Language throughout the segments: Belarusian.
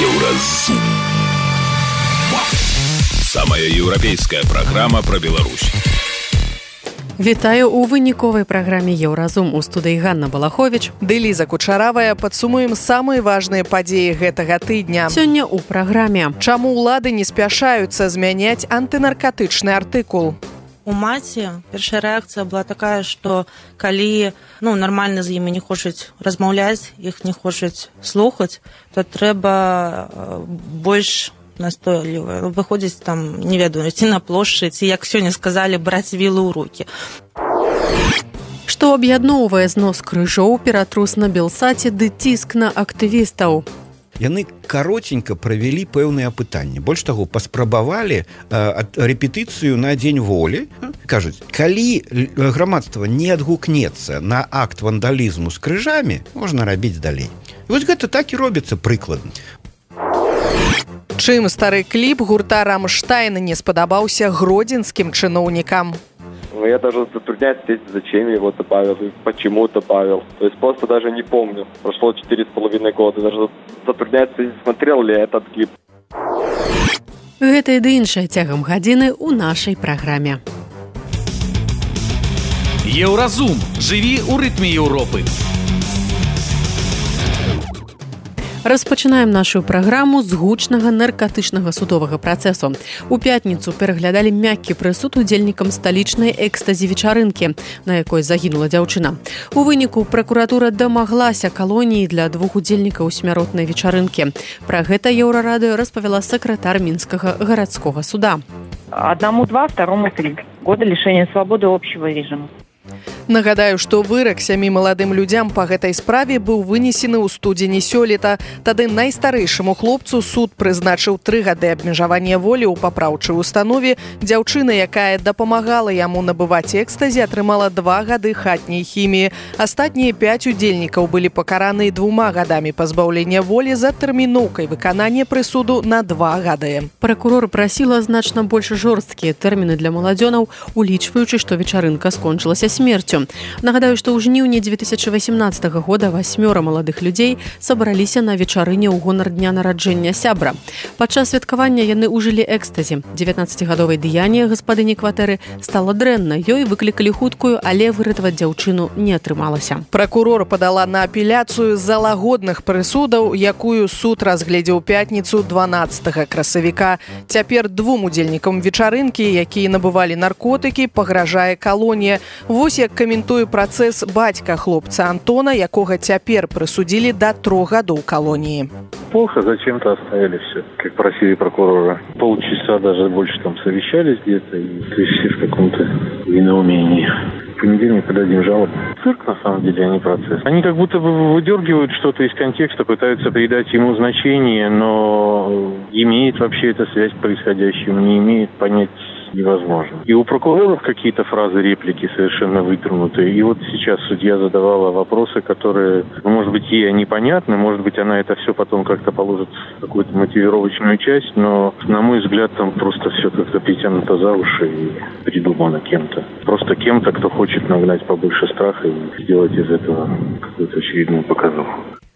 Еўразум. Самая еўрапейская праграма пра Беларусь. Вітаю ў выніковай праграме Еўразум. У студыі Ганна Балахович ды Ліза Кучаравая. Падсумуем самыя важныя падзеі гэтага тыдня. Сёння ў праграме. Чаму ўлады не спяшаюцца змяняць антынаркатычны артыкул? У маці першая рэакцыя была такая, што калі нармальна з імі не хочуць размаўляць, іх не хочуць слухаць, то трэба больш настойліва выходзіць там, не ведаю, ці на плошчы, ці, як сёння сказалі, браць вілы ў рукі. Што аб'ядноўвае знос крыжоў, ператрус на Белсаце ды ціск на актывістаў? Яны каротенька правялі пэўныя апытанні. Больш таго, паспрабавалі рэпетыцыю на дзень волі. Кажуць, калі грамадства не адгукнецца на акт вандалізму з крыжамі, можна рабіць далей. І вось гэта так і робіцца прыкладна. Чым стары кліп гурта «Рамштайн» не спадабаўся гродзенскім чыноўнікам? Я даже затрудняюсь ответить, зачем я его добавил и почему добавил. То есть просто даже не помню. Прошло 4,5 года. Даже затрудняюсь, смотрел ли я этот клип. Гэта і ды іншае цягам гадзіны ў нашай праграме. Еўразум. Жыві ў рытме Еўропы. Распачынаем нашу праграму з гучнага наркатычнага судовага працэсу. У пятніцу пераглядалі мяккі прысуд удзельнікам сталічнай экстазі-вечарынкі, на якой загінула дзяўчына. У выніку пракуратура дамаглася калоніі для 2 удзельнікаў смяротнай вечарынкі. Пра гэта Еўрарадыё распавяла сакратар Мінскага гарадскога суда. 1-2, 2-3 года лишения свободы общего режима. Нагадаю, што вырак 7 маладым людзям па гэтай справе быў вынесены ў студзені сёлета. Тады найстарэйшаму хлопцу суд прызначыў 3 гады абмежавання волі ў папраўчай установе. Дзяўчына, якая дапамагала яму набываць экстазі, атрымала 2 гады хатняй хіміі. Астатнія 5 удзельнікаў былі пакараны 2 гадамі пазбаўлення волі за тэрміноўкай выканання прысуду на 2 гады. Пракурор прасіла значна больш жорсткія тэрміны для маладзёнаў, улічваючы, што вечарынка скончылася смерцю. Нагадаю, што ў жніўні 2018 года 8 маладых людзей сабраліся на вечарыне ў гонар дня нараджэння сябра. Падчас святкавання яны ўжылі экстазі. 19-гадовай Дыяне, гаспадыні кватэры, стала дрэнна. Ёй выклікалі хуткую, але выратаваць дзяўчыну не атрымалася. Пракурор падала на апеляцыю з-за лагодных прысудаў, якую суд разгледзеў пятніцу 12 красавіка. Цяпер 2 удзельнікам вечарынкі, якія набывалі наркотыкі, пагражае калонія. Вось як каментуе працэс бацька хлопца Антона, якога цяпер прысудзілі да 3 гадоў калоніі. Плохо, зачем-то оставили все, как просили прокурора. Полчаса, даже больше там совещались где-то, и то есть все в каком-то недоумении. В понедельник подадим жалобу. Цирк, на самом деле, а не процесс. Они как будто бы выдергивают что-то из контекста, пытаются придать ему значение, но имеет вообще эта связь к происходящему, не имеет, понять невозможно. И у прокуроров какие-то фразы, реплики совершенно вытрунутые. И вот сейчас судья задавала вопросы, которые, может быть, ей непонятны, может быть, она это все потом как-то положит в какую-то мотивировочную часть, но, на мой взгляд, там просто все как-то притянуто за уши и придумано кем-то. Просто кем-то, кто хочет нагнать побольше страха и сделать из этого какую-то очередную показуху.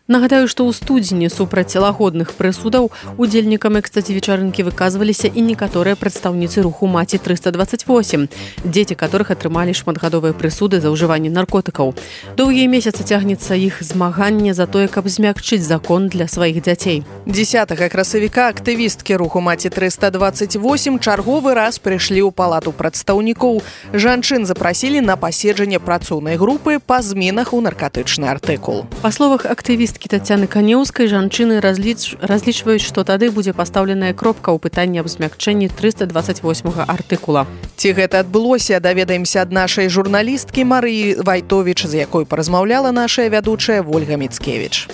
Нагадаю, што ў студзені супраць лагодных прысудаў удзельнікам экстазі-вечарынкі выказваліся і некаторыя прадстаўніцы руху «Маці 328», дзеці которых атрымалі шматгадовыя прысуды за ўжыванне наркотыкаў. Доўгія месяцы цягнецца іх змаганне за тое, каб змякчыць закон для сваіх дзяцей. 10 красавіка актывісткі руху «Маці 328» чарговы раз прыйшлі ў палату прадстаўнікоў. Жанчын запрасілі на паседжанне працоўнай групы па зменах у наркатычны артыкул. Па словах актывісткі Тацяны Канеўскай, жанчыны разлічваюць, што тады будзе пастаўленая кропка ў пытанні аб змякчэнні 328 артыкула. Ці гэта адбылося, даведаемся ад нашай журналісткі Марыі Вайтовіч, з якой паразмаўляла нашая вядучая Вольга Міцкевіч.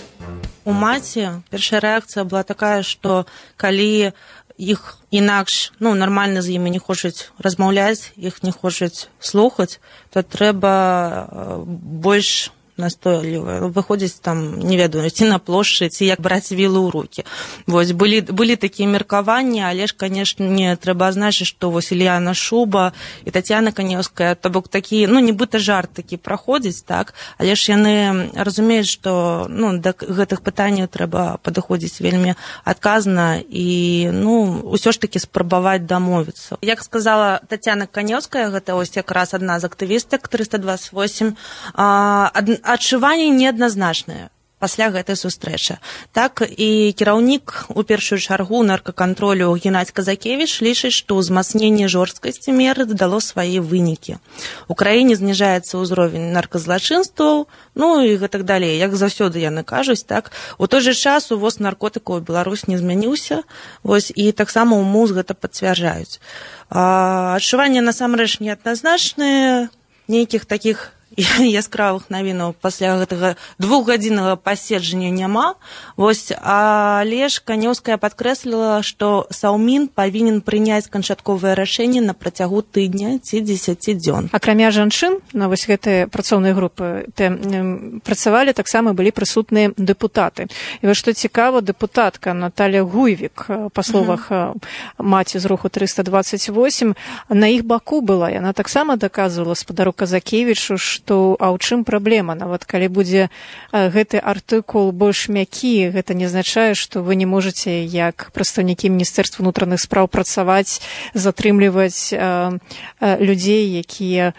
У маці першая рэакцыя была такая, што калі іх інакш, нармальна з імі не хочуць размаўляць, іх не хочуць слухаць, то трэба больш настойлівая, выходзіць там, не ведаю, ці на плошчы, ці як браць вілы ў рукі. Вось, былі такія меркаванні, але ж, канешне, трэба азначыць, што вось Ільяна Шуба і Тацяна Канеўская, то бок такі, нібыта жарт такі праходзіць, так, але ж яны разумеюць, што, да гэтых пытанняў трэба падыходзіць вельмі адказна і, ўсё ж такі спрабаваць дамовіцца. Як сказала Тацяна Канеўская, гэта ось якраз адна з актывістак 328, адчуванні неадназначныя пасля гэтай сустрэчы. Так, і кіраўнік у першую чаргу наркакантролю Геннадзь Казакевіч лічыць, што ўзмацненне жорсткасці меры дало свае вынікі. У краіне зніжаецца ўзровень нарказлачынстваў, і гэтак далей, як заўсёды яны кажуць, так. У той жа час увоз наркотыкаў у Беларусь не змяніўся, вось, і таксама ў МУЗ гэта пацвярджаюць. Адчуванні насамрэч неадназначныя, нейкіх такіх яскравых навінаў пасля гэтага двухгадзіннага паседжання няма. Вось, але ж Канеўская падкрэсліла, што Саўмін павінен прыняць канчатковае рашэнне на працягу тыдня ці 10 дзён. Акрамя жанчын, на вось гэтай працоўнай групы працавалі, таксама былі прысутныя дэпутаты. І вось што цікава, дэпутатка Наталя Гуйвік, па словах маці з руху 328, на іх баку была. Яна таксама даказвала спадару Казакевічу, што у чым праблема? Нават калі будзе гэты артыкул больш мякі, гэта не азначае, што вы не можаце як прадстаўнікі Міністэрства ўнутраных спраў працаваць, затрымліваць людзей, якія,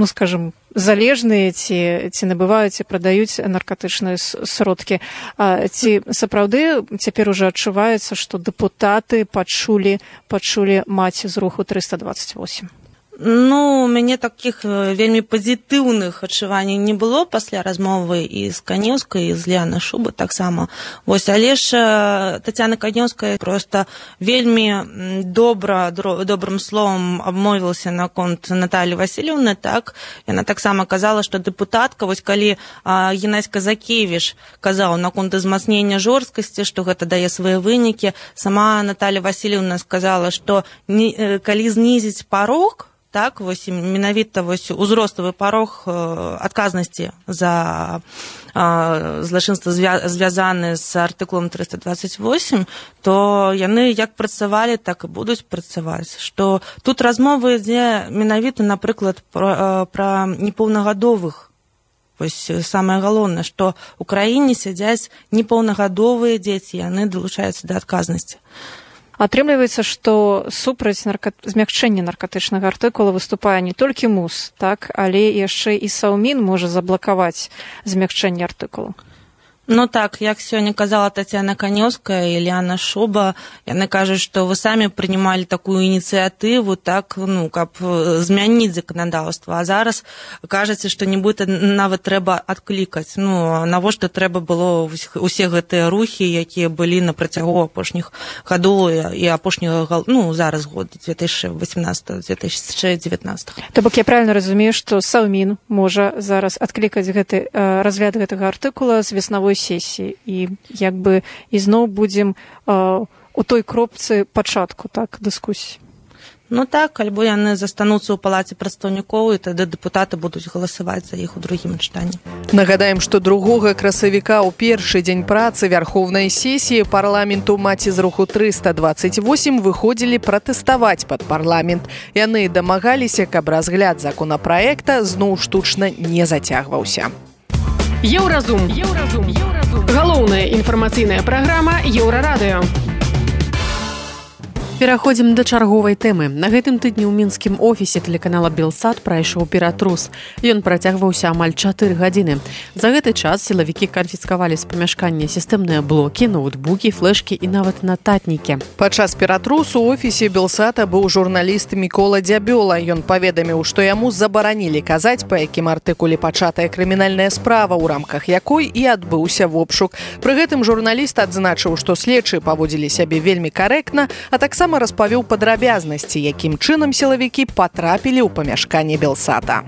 скажам, залежныя ці набываюць і прадаюць наркатычныя сродкі. Ці сапраўды цяпер ужо адчуваецца, што дэпутаты пачулі маці з руху 328? У мяне такіх вельмі пазітыўных адчуванняў не было пасля размовы і з Канеўскай, і з Ільянай Шубы таксама. Вось, але ж Тацяна Канеўская проста вельмі добрым словам абмовілася наконт Наталі Васильевны, так. Яна таксама казала, што дэпутатка, вось калі Геннадзь Казакевіч казаў наконт узмацнення жорсткасці, што гэта дае свае вынікі, сама Наталя Васильевна сказала, што калі знізіць парог, так, вось, менавіта вось узроставы парог адказнасці за злачынства звязаны з артыкулам 328, то яны як працавалі, так і будуць працаваць. Што тут размова ідзе менавіта, напрыклад, пра непаўнагадовых. Вось самае галоўнае, што ў краіне сядзяць непаўнагадовыя дзеці, яны далучаюцца да адказнасці. Атрымліваецца, што супраць змякчэння наркатычнага артыкула выступае не толькі МУЗ, так, але яшчэ і Саўмін можа заблакаваць змякчэнне артыкулу. Так, як сёння казала Тацяна Канеўская і Ільяна Шуба, яны кажуць, што вы самі прынималі такую ініцыятыву, так, каб змяніць заканадаўства, а зараз кажаце, што нібыта нават трэба адклікаць. Навошта трэба было усе гэтыя рухі, якія былі на працягу апошніх гадоў і апошняга, зараз год 2018-2019. То бок я правильно разумею, што Саўмін можа зараз адклікаць гэты разгляд гэтага артыкула з веснавой сесіі і як бы ізноў будзем у той кропцы пачатку, так, дыскусіі. Так, альбо яны застануцца ў палаце прадстаўнікоў, і тады дэпутаты будуць галасаваць за іх у другім чытанні. Нагадаем, што 2 красавіка ў першы дзень працы Вярхоўнай сесіі парламенту маці з руху 328 выходзілі пратэставаць пад парламент. Яны дамагаліся, каб разгляд законапраекта зноў штучна не зацягваўся. Еўразум. Галоўная інфармацыйная праграма Еўрарадыё. Пераходзім да чарговай тэмы. На гэтым тыдні ў мінскім офісе тэлеканала Белсат прайшоў ператрус. Ён працягваўся амаль 4 гадзіны. За гэты час сілавікі канфіскавалі з памяшкання сістэмныя блокі, ноутбукі, флешкі і нават нататнікі. Падчас ператрусу ў офісе Белсата быў журналіст Мікола Дзябёла. Ён паведаміў, што яму забаранілі казаць, па якім артыкуле пачатая крымінальная справа, у рамках якой і адбыўся вобшук. Пры гэтым журналіст адзначыў, што следчыя паводзілі сябе вельмі карэктна, а таксама распавёў падрабязнасці, якім чынам сілавікі патрапілі ў памяшканне Белсата.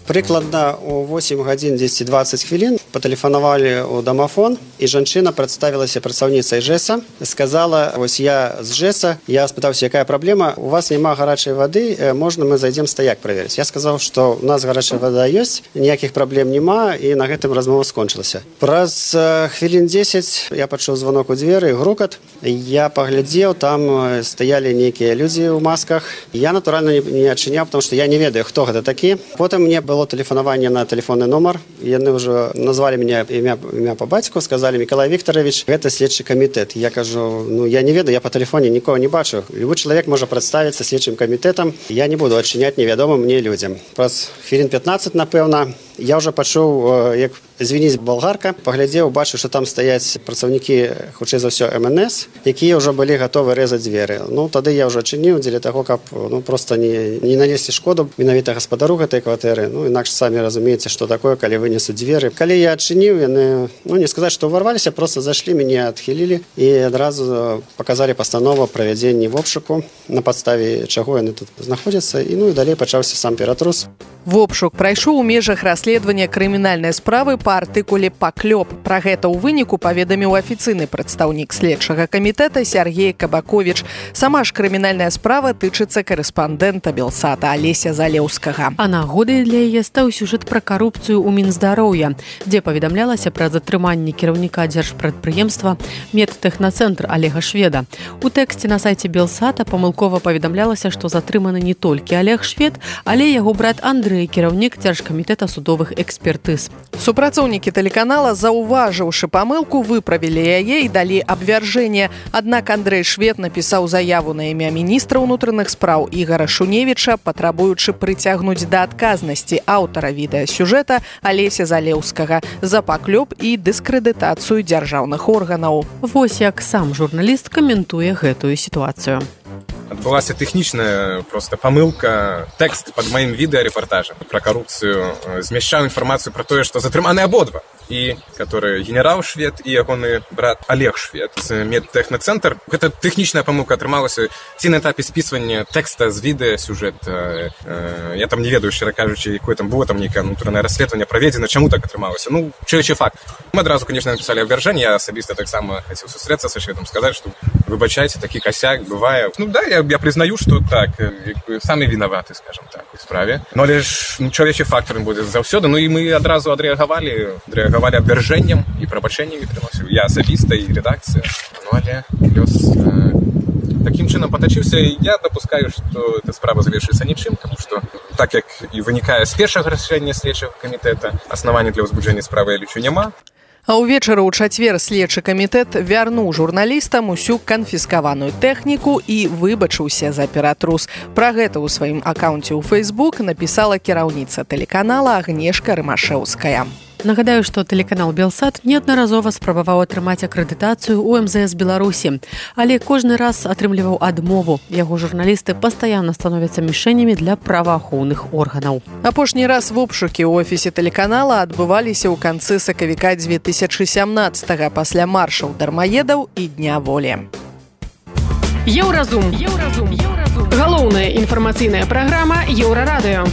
Прыкладна у 8 гадзін 10-20 хвілін патэлефанавалі ў дамафон, і жанчына прадставілася працаўніцай ЖЭСа, сказала: вось я з ЖЭСа, я спытаўся, якая праблема, у вас няма гарачай вады, можна мы зайдзем стаяк праверыць. Я сказаў, што у нас гарачая вада ёсць, ніякіх праблем няма, і на гэтым размова скончылася. Праз хвілін 10 я пачуў звонок у дзверы, грукат. Я паглядзеў, там стаялі нейкія людзі ў масках. Я, натуральна, не адчыняў, потому што я не ведаю, хто гэта такі. Потым мне было тэлефанаванне на тэлефонны нумар. Яны ўжо назвалі мяне імя па бацьку, сказалі: Мікалай Віктарович, гэта следчы камітэт. Я кажу: я не ведаю, я па тэлефоне нікога не бачу. Любы чалавек можа прадставіцца следчым камітэтам. Я не буду адчыняць невядомым мне людзям. Праз хвілін 15, напэўна, я ўжо пачуў, як звініць болгарка, паглядзеў, бачу, што там стаяць працаўнікі, хутчэй за ўсё, МНС, якія ўжо былі гатовы рэзаць дзверы. Тады я ўжо адчыніў дзеля таго, каб проста не нанесці шкоду менавіта гаспадару гэтай кватэры. Інакш самі разумееце, што такое, калі вынесуць дзверы. Калі я адчыніў, яны, не сказаць, што ўварваліся, проста зайшлі, мяне адхілілі і адразу паказалі пастанову пра правядзенні вобшуку, на падставе чаго яны тут знаходзяцца, і далей пачаўся сам ператрус. Вобшук прайшоў у межах расследавання крымінальнай справы па артыкуле «Паклёп». Пра гэта ў выніку паведаміў афіцыйны прадстаўнік следчага камітэта Сергей Кабакович. Сама ж крымінальная справа тычыцца корэспандэнта Белсата Алеся Залеўскага. А нагодай для яе стаў сюжэт пра карупцыю ў Мінздароўя, дзе паведамлялася пра затрыманне кіраўніка дзяржпрадпрыемства «Медтэхнацэнтр» Олега Шведа. У тэксце на сайце Белсата памылкова паведамлялася, што затрыманы не толькі Олег Швед, але яго брат Андрэй, кіраўнік дзяржкамітэта судовых экспертыз. Супрацоўнікі тэлеканала, заўважыўшы памылку, выправілі яе і далі абвяржэнне. Аднак Андрэй Швед напісаў заяву на імя міністра ўнутраных спраў Ігара Шуневіча, патрабуючы прыцягнуць да адказнасці аўтара відэасюжэта Алеся Залеўскага за паклёп і дыскрэдытацыю дзяржаўных органаў. Вось як сам журналіст каментуе гэтую сітуацыю. Адбылася тэхнічная просто памылка. Тэкст пад маім відэарэпартажам пра карупцыю змяшчаў інфармацыю пра тое, што затрыманы абодва. І который генерал Швед і ягоны брат Олег Швед з Медтэхнацэнтр. Гэта тэхнічная памылка атрымалася ці на этапе спісвання тэкста з відэасюжэта. Я там не ведаю, шчыра кажучы, якое там было, там нейкае ўнутранае расследаванне праведзена, чаму так атрымалася. Чуючы факт. Мы адразу, конечно, написали абвяржэнне. Я асабіста таксама хацеў сустрэцца са Шведам, сказаць, што выбачайце, такі косяк бывае. Я признаю, что так, самі вінаваты, скажем так, у справе. Але ж чалавечы фактор будзе заўсёды. І мы адразу адрэагавалі абвяржэннем і прабачэннем атрымаўся. Я асабіста і редакцыя. Але лёс такім чынам патачыўся. Я дапускаю, што эта справа завершыцца нічым, тому што так як і вынікае з першага рашэння следчага камітэта, аснавання для ўзбуджэння справы я лічу няма. А ўвечары ў чацвер следчы камітэт вярнуў журналістам усю канфіскаваную тэхніку і выбачыўся за ператрус. Пра гэта ў сваім акаунце ў Facebook напісала кіраўніца тэлеканала Агнешка Рымашэўская. Нагадаю, што тэлеканал Белсат неаднаразова спрабаваў атрымаць акрэдытацыю ў МЗС Беларусі, але кожны раз атрымліваў адмову. Яго журналісты пастаянна становяцца мішэнямі для праваахоўных органаў. Апошні раз вобшукі ў офісе тэлеканала адбываліся ў канцы сакавіка 2017-го пасля маршаў дармаедаў і Дня волі. Еўразум. Галоўная інфармацыйная праграма Еўрарадыё.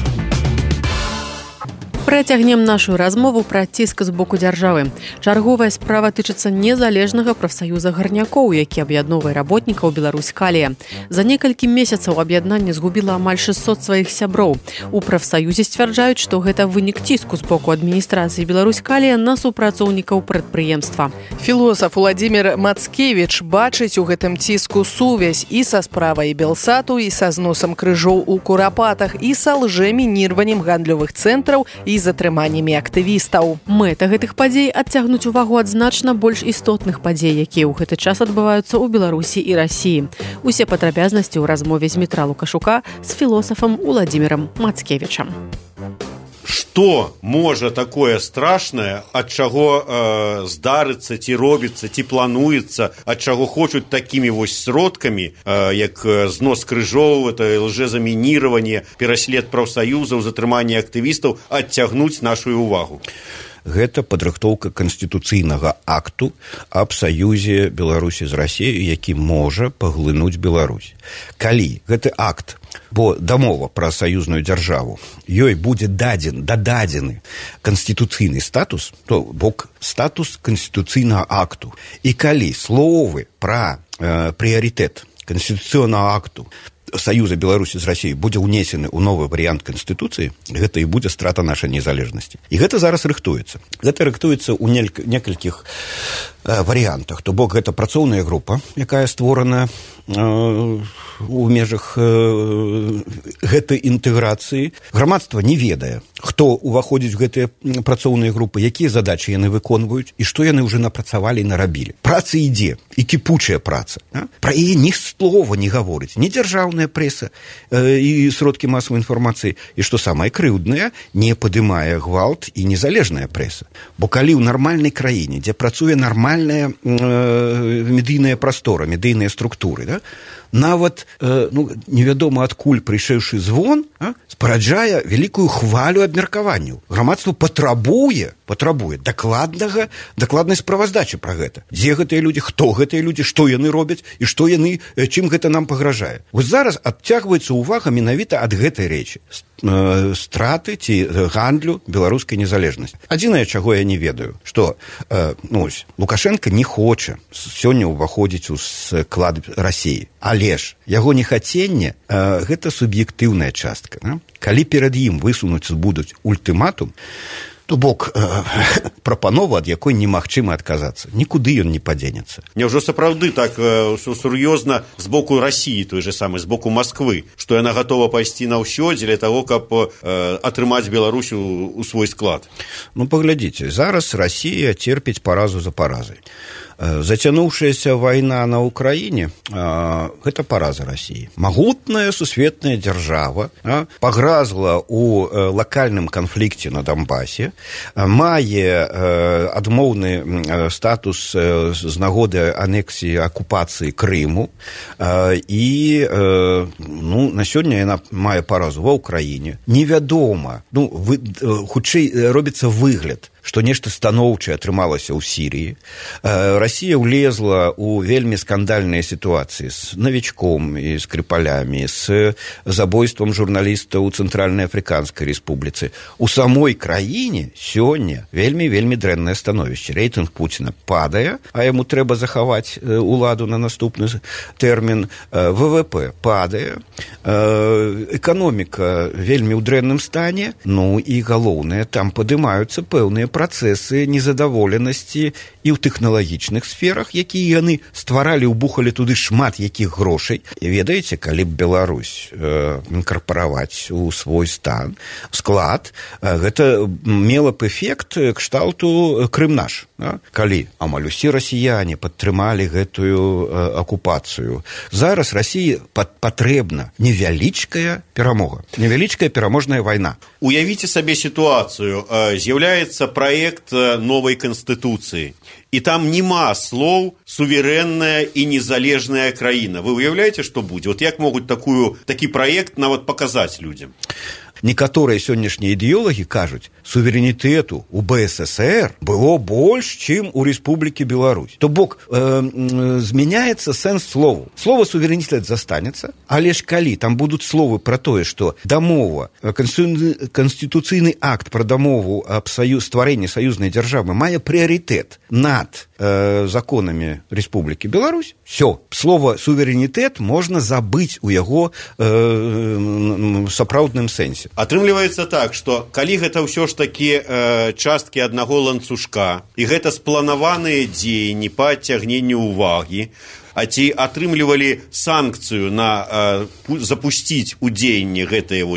Працягнем нашу размову пра ціск з боку дзяржавы. Чарговая справа тычыцца незалежнага прафсаюза гарнякоў, які аб'ядноўвае работнікаў Беларусь-Калія. За некалькі месяцаў аб'яднанне згубіла амаль 600 сваіх сяброў. У прафсаюзе сцвярджаюць, што гэта вынік ціску з боку адміністрацыі Беларусь-Калія на супрацоўнікаў прадпрыемства. Філосаф Уладзімір Мацкевіч бачыць у гэтым ціску сувязь і са справай Белсату, і са зносам крыжоў у Курапатах, і са лжэмінірваннем гандлёвых цэнтраў і затрыманнямі актывістаў. Мэта гэтых падзей адцягнуць увагу ад значна больш істотных падзей, якія ў гэты час адбываюцца ў Беларусі і Расіі. Усе падрабязнасці ў размове з Мітра Лукашука з філосафам Уладзімірам Мацкевічам. Што можа такое страшнае, ад чаго здарыцца, ці робіцца, ці плануецца, ад чаго хочуць такімі вось сродкамі, як знос крыжоў, лжэзамініраванне, пераслед прафсаюзаў, затрыманне актывістаў, адцягнуць нашу увагу. Гэта падрыхтоўка канстытуцыйнага акту аб саюзе Беларусі з Расіяй, які можа паглынуць Беларусь. Калі гэты акт бо дамова пра саюзную дзяржаву ёй будзе дададзены канстытуцыйны статус, то бок статус канстытуцыйнага акту. І калі словы пра прыярытэт канстытуцыйнага акту Саюза Беларусі з Расіяй будзе ўнесены ў новы варыянт Канстытуцыі, гэта і будзе страта нашай незалежнасці. І гэта зараз рыхтуецца. Гэта рыхтуецца ў некалькіх варыянтах. То бок гэта працоўная група, якая створана у межах гэтай інтэграцыі. Грамадства не ведае, хто ўваходзіць у гэтыя працоўныя групы, якія задачы яны выконваюць і што яны ўжо напрацавалі і нарабілі. Праца ідзе, і кіпучая праца. Пра яе ні слова не гаворыць, ні дзяржаўная прэса і сродкі масавай інфармацыі, і што самае крыўднае, не падымае гвалт і незалежная прэса. Бо калі ў нармальнай краіне, дзе працуе нармальная медыйная прастора, медыйныя структуры, нават невядома адкуль прыйшэўшы звон спараджае вялікую хвалю абмеркаванняў. Грамадства патрабуе дакладнай справаздачы пра гэта. Дзе гэтыя людзі, хто гэтыя людзі, што яны робяць і што яны, чым гэта нам пагражае. Вось зараз адцягваецца ўвага менавіта ад гэтай рэчы. Страты ці гандлю беларускай незалежнасці. Адзінае, чаго я не ведаю, што Лукашенко не хоча сёння ўваходзіць у склад Расіі. Але ж яго нехаценне гэта суб'ектыўная частка. Калі перад ім высунуць будуць ультыматум, то бок прапанова, ад якой немагчыма адказацца. Нікуды ён не падзенецца. Няўжо сапраўды так сур'ёзна з боку Расіі, той же самы, з боку Масквы, што яна гатова пайсці на ўсё дзеля таго, каб атрымаць Беларусь у свой склад? Паглядзіце, зараз Расія церпіць паразу за паразай. Зацянуўшаяся вайна на Ўкраіне гэта параза Расіі. Магутная сусветная дзяржава пагразла ў лакальным канфлікце на Донбасе, мае адмоўны статус з нагоды анексіі акупацыі Крыму і на сёння яна мае паразу ва Ўкраіне. Невядома, хутчэй робіцца выгляд, што нешта станоўчае атрымалася ў Сірыі. Расія ўлезла ў вельмі скандальныя сітуацыі з Навічком і Скрыпалямі, з забойствам журналіста ў Цэнтральнай Афрыканскай Рэспубліцы. У самой краіне сёння вельмі дрэннае становішча. Рэйтынг Пуціна падае, а яму трэба захаваць уладу на наступны тэрмін. ВВП падае, эканоміка вельмі ў дрэнным стане, і галоўнае, там падымаюцца пэўныя працэсы незадаволенасці і ў тэхналагічных сферах, якія яны стваралі, убухалі туды шмат якіх грошай. І ведаеце, калі б Беларусь інкарпараваць у свой склад, гэта мела б эфект кшталту Крым наш. Калі амаль усе расіяне падтрымалі гэтую акупацыю. Зараз Расіі патрэбна невялічкая перамога, невялічкая пераможная вайна. Уявіце сабе сітуацыю. З'яўляецца праект новай Канстытуцыі. І там нема слоў суверэнная і незалежная краіна. Вы уяўляеце, што будзе? Вот як могуць такі праект нават паказаць людзям? Некаторыя сённяшнія ідэолагі кажуць, суверэнітэту у БССР было больш, чым у Рэспублікі Беларусь. То бок змяняецца сэнс слову. Слова суверэнітэт застанецца, але ж калі там будуць словы пра тое, што дамова, канстытуцыйны акт пра дамову аб стварэнні саюзнай дзяржавы мае прыярытэт над законамі Рэспублікі Беларусь, всё, слова суверэнітэт можна забыць у яго сапраўдным сэнсе. Атрымліваецца так, што калі гэта ўсё ж такі часткі аднаго ланцужка, і гэта спланаваныя дзеянні па адцягненню ўвагі, а ці атрымлівалі санкцыю на запусціць у дзеянні гэтыя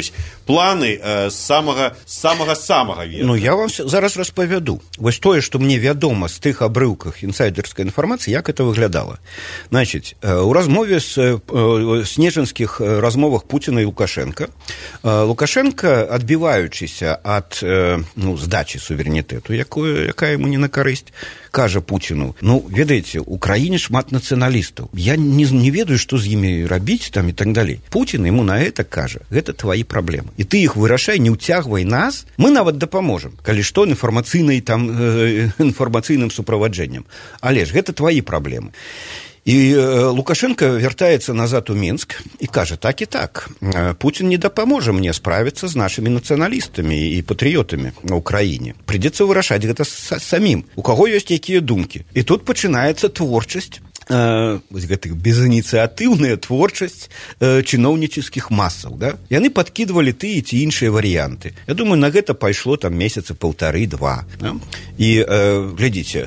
планы з самага верха? Я вам зараз распавяду. Вось тое, што мне вядома з тых абрыўках інсайдерскай інфармацыі, як это выглядала. Значыць, у размове снежанскіх размовах Пуціна і Лукашенка, адбіваючыся ад здачы суверэнітэту, якая яму не на карысць, кажа Пуціну, ведаеце, у краіне шмат нацыяналістаў. Я не ведаю, што з імі рабіць там і так далей. Пуцін яму на гэта кажа, гэта твои праблемы. І ты іх вырашай, не ўцягвай нас, мы нават дапаможам, калі што інфармацыйным суправаджэннем. Але ж гэта твои праблемы. І Лукашенко вяртаецца назад у Мінск і кажа, так і так, Путін не дапаможа мне справіцца з нашымі нацыяналістамі і патрыётамі на Украіне. Прыйдзецца вырашаць гэта самім, у каго ёсць якія думкі. І тут пачынаецца творчасць, гэтых безініцыятыўная творчасць чыноўнічыцкіх масаў, да? Яны падкідвалі тыя ці іншыя варыянты. Я думаю, на гэта пайшло там месяца 1,5-2. Да? І глядзіце,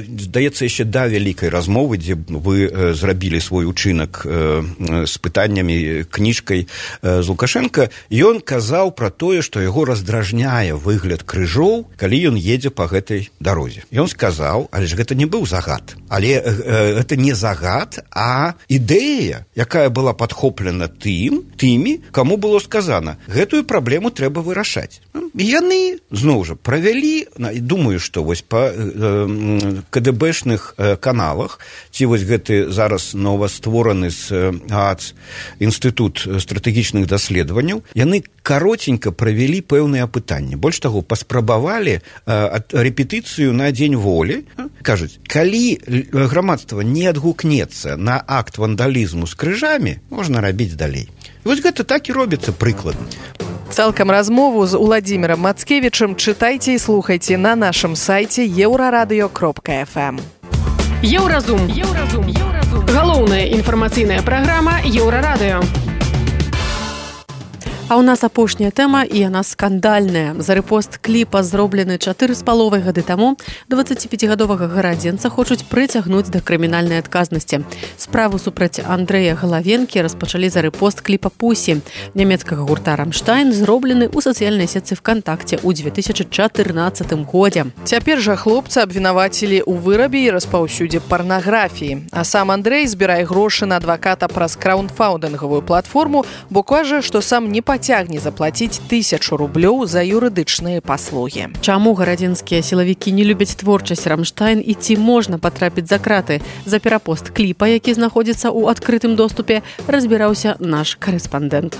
здаецца, яшчэ да вялікай размовы, дзе вы зрабілі свой учынак з пытаннямі, кніжкай з Лукашенко, ён казаў пра тое, што яго раздражняе выгляд крыжоў, калі ён едзе па гэтай дарозе. Ён сказаў, але ж гэта не быў загад. Але гэта не загад, а ідэя, якая была падхоплена тымі, каму было сказана, гэтую праблему трэба вырашаць. І яны, зноў жа, правялі, думаю, што вось па КДБшных каналах, ці вось гэты зараз новаствораны з ААЦ Інстытут стратэгічных даследаванняў, яны каротенька правялі пэўныя апытанні. Больш таго, паспрабавалі рэпетыцыю на дзень волі. Кажуць, калі грамадства не адгукнецца на акт вандалізму з крыжамі, можна рабіць далей. І вось гэта так і робіцца прыкладна. Цалкам размову з Уладзімірам Мацкевічам чытайце і слухайце на нашым сайце еўрарадыё.фм. Еўразум. Галоўная інфармацыйная праграма Еўрарадыё. А ў нас апошняя тэма, і яна скандальная. За рэпост кліпа, зроблены 4,5 гады таму, 25гадовага гарадзенца хочуць прыцягнуць да крымінальнай адказнасці. Справу супраць Андрэя Галавенкі распачалі за рэпост кліпа «Пусі» нямецкага гурта «Рамштайн», зроблены ў сацыяльнай сетцы ВКонтакце ў 2014 годзе. Цяпер жа хлопца абвінавацілі ў вырабе і распаўсюдзе парнаграфіі. А сам Андрэй збірае грошы на адваката праз краўдфандынгавую платформу, бо кажа, што сам не пацягне заплаціць 1000 рублёў за юрыдычныя паслугі. Чаму гарадзенскія сілавікі не любяць творчасць «Рамштайн» і ці можна патрапіць за краты? За перапост кліпа, які знаходзіцца ў адкрытым доступе, разбіраўся наш карэспандэнт.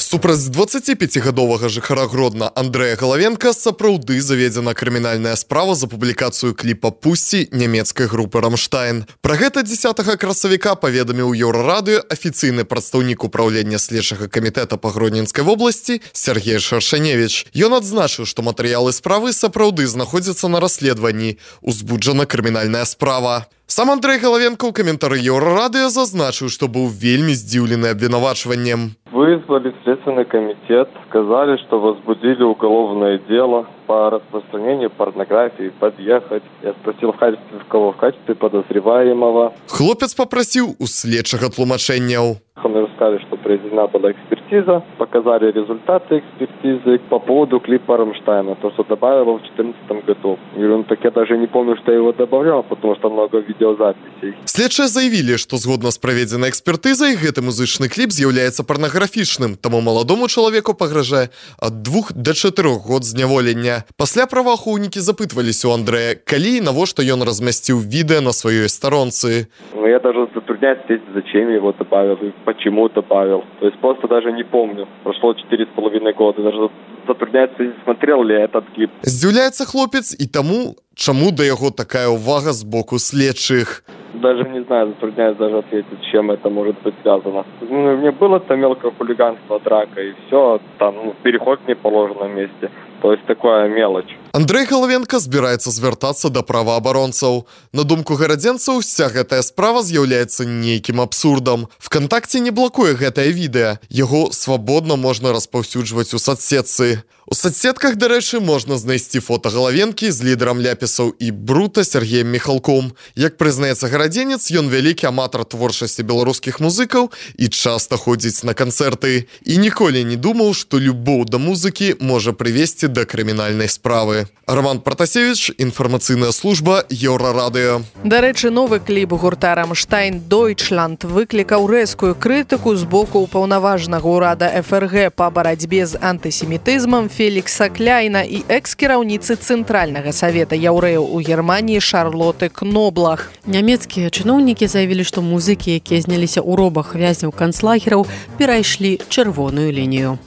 Супраць 25гадовага жыхара Гродна Андрэя Галавенка сапраўды заведзена крымінальная справа за публікацыю кліпа «Пусі» нямецкай групы «Рамштайн». Пра гэта 10 красавіка паведаміў Еўрарадыё афіцыйны прадстаўнік управлення следчага камітэта па Гродненскай вобласці Сергей Шаршаневіч. Ён адзначыў, што матэрыялы справы сапраўды знаходзяцца на расследаванні. Узбуджана крымінальная справа. Сам Андрэй Галавенко ў каментары Еўрарадыё зазначыў, што быў вельмі здзіўлены абвінавачваннем. Вызвали Следственный комитет, сказали, что возбудили уголовное дело по распространению порнографии, подъехать. Я спросил, в кого в качестве подозреваемого. Хлопец попросил у следчага тлумачэнняў. Мы рассказали, что проведена была экспертиза, показали результаты экспертизы по поводу клипа «Рамштайна», то, что добавил в 2014 году. Я говорю, так я даже не помню, что я его добавлял, потому что много видеозаписей. Следчыя заявілі, што згодна з праведзенай экспертызай гэты музычны кліп з'яўляецца парнаграфічным, таму маладому чалавеку пагражае ад 2 до 4 год зняволення. Пасля праваахоўнікі запытваліся у Андрэя, калі і навошта ён размясціў відэа на сваёй старонцы. Я даже затрудняюсь ответить, зачем я его добавил и почему добавил. То есть просто даже не помню. Прошло 4,5 года. Даже затрудняюсь, смотрел ли я этот клип. Здзіўляецца хлопец і таму, чаму да яго такая ўвага з боку следчых. Даже не знаю, затрудняюсь даже ответить, с чем это может быть связано. Мне было там мелкое хулиганство, драка и все, там переход в неположенном месте. То есть такая мелочь. Андрэй Галавенка збіраецца звяртацца да праваабаронцаў. На думку гарадзенцаў, уся гэтая справа з'яўляецца нейкім абсурдам. ВКонтакце не блакуе гэтае відэа. Яго свабодна можна распаўсюджваць у соцсетцы. У соцсетках, дарэчы, можна знайсці фота Галавенкі з лідарам ляпісаў і брута Сергеем Міхалком. Як прызнаецца гарадзенец, ён вялікі аматар творчасці беларускіх музыкаў і часта ходзіць на канцэрты. І ніколі не думаў, што любоў да музыкі можа прывесці да крымінальнай справы. Роман Протасевич, інфармацыйная служба Еўрарадыё. Дарэчы, новы кліп гурта «Рамштайн Дойчланд» выклікаў рэзкую крытыку з боку ўпаўнаважанага ўрада ФРГ па барацьбе з антысемітызмам Фелікса Кляйна і экс-кіраўніцы Цэнтральнага савета яўрэяў у Германіі Шарлоты Кноблах. Нямецкія чыноўнікі заявілі, што музыкі, якія зняліся ў робах вязняў канцлагераў, перайшлі чырвоную лінію.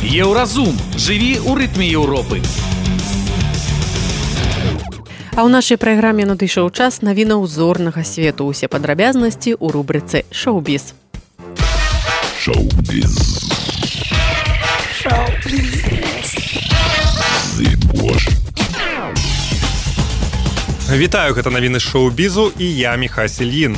Еўразум. Жыві ў рытме Еўропы. А ў нашай праграме надышоў час навінаў зорнага свету. Усе падрабязнасці ў рубрыцы «Шоу-біз». Шоу-біз. Вітаю, гэта навіны шоу-бізу і я Міхась Ільін.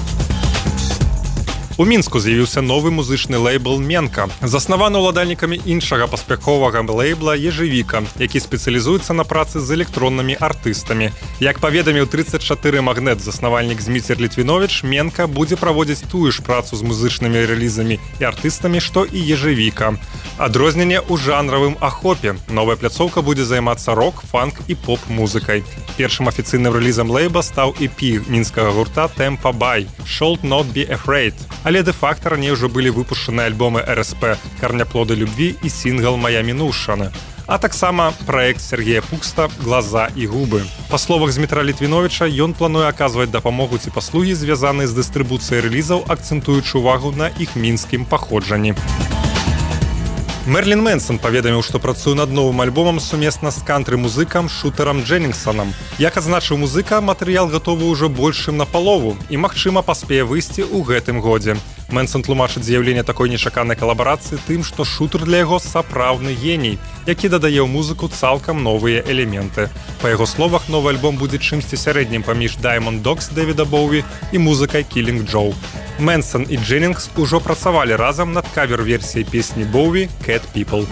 У Мінску з'явіўся новы музычны лейбл «Менка», заснаваны ўладальнікамі іншага паспяховага лейбла «Ежевіка», які спецыялізуецца на працы з электроннымі артыстамі. Як паведаміў 34 магнет заснавальнік Зміцер Літвіновіч, «Менка» будзе праводзіць тую ж працу з музычнымі рэлізамі і артыстамі, што і «Ежевіка». Адрозненне ў жанравым ахопе. Новая пляцоўка будзе займацца рок, фанк і поп-музыкай. Першым афіцыйным рэлізам лейбла стаў EP мінскага гурта «Темпа Бай» «Should Not Be Afraid». Але де-факта раней ўжо былі выпушчаны альбомы РСП «Карняплоды любві» і сінгл «Мая мінушчана», а таксама праект Сергея Пукста «Глаза і губы». Па словах Змітра Літвіновіча, ён плануе аказваць дапамогу ці паслугі, звязаныя з дыстрыбуцыяй рэлізаў, акцэнтуючы ўвагу на іх мінскім паходжанні. Мерлін Мэнсон паведаміў, што працуе над новым альбомам сумесна з кантры-музыкам Шутарам Дженнінгсонам. Як адзначыў музыка, матэрыял гатовы ўжо больш чым напалову і, магчыма, паспее выйсці ў гэтым годзе. Мэнсон тлумачыць з'яўленне такой нечаканай калабарацыі тым, што Шутар для яго сапраўдны геній, які дадае ў музыку цалкам новыя элементы. Па яго словах, новы альбом будзе чымсьці сярэднім паміж Diamond Dogs Дэвіда Боуі і музыкай Killing Joe. Мэнсон і Дженнінгс ужо працавалі разам над кавер-версіяй песні Боуі «Cat People».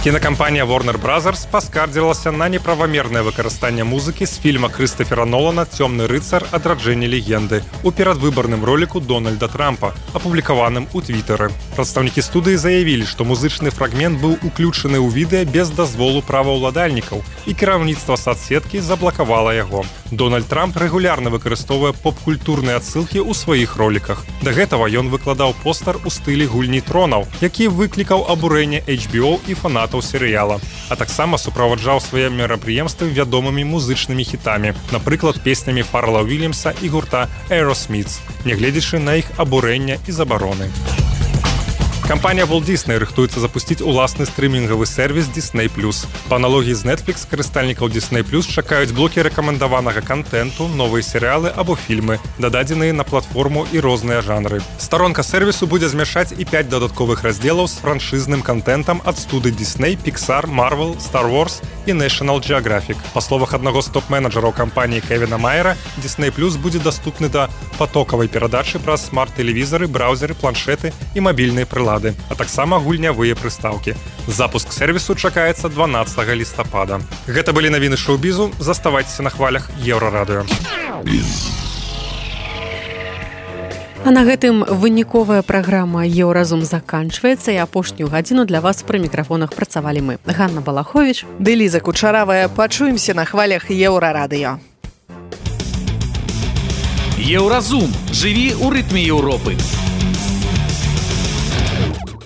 Кінакампанія Warner Brothers паскардзілася на неправамернае выкарыстанне музыкі з фільма Крыстафера Нолана «Цёмны рыцар. Адраджэнне легенды» у перадвыбарным роліку Дональда Трампа, апублікаваным у Твітары. Прадстаўнікі студыі заявілі, што музычны фрагмент быў уключаны ў відэа без дазволу праваўладальнікаў, і кіраўніцтва сацсеткі заблакавала яго. Дональд Трамп рэгулярна выкарыстоўвае поп-культурныя адсылкі ў сваіх роліках. Да гэтага ён выкладаў постер у стылі гульні тронаў, які выклікаў абурэнне HBO і фанатаў серыяла, а таксама суправаджаў свае мерапрыемствы вядомымі музычнымі хітамі, напрыклад, песнямі Фаррела Уільямса і гурта Aerosmith, нягледзячы на іх абурэнне і забароны. Кампанія Walt Disney рыхтуецца запусціць уласны стрымінгавы сервіс Disney+. Па аналогіі з Netflix, карыстальнікаў Disney+ чакаюць блокі рэкамендаванага кантэнту, новыя серыялы або фільмы, дададзеныя на платформу і розныя жанры. Старонка сервісу будзе змяшаць і 5 дадатковых раздзелаў з франшызным кантэнтам ад студый Disney, Pixar, Marvel, Star Wars і National Geographic. Па словах аднаго з топ-менеджераў кампаніі Кевіна Майера, Disney+ будзе даступны да патокавай перадачы праз смарт-тэлевізары, браўзеры, планшеты і мабільныя прылады, а таксама гульнявыя прыстаўкі. Запуск сервісу чакаецца 12 лістапада. Гэта былі навіны шоу-бізу. Заставайцеся на хвалях Еўрарадыё. А на гэтым выніковая праграма «Еўразум» заканчваецца, і апошнюю гадзіну для вас пры мікрафонах працавалі мы, Ганна Балаховіч, ды Ліза Кучаравая. Пачуемся на хвалях Еўрарадыё. Еўразум. Жыві ў рытме Еўропы.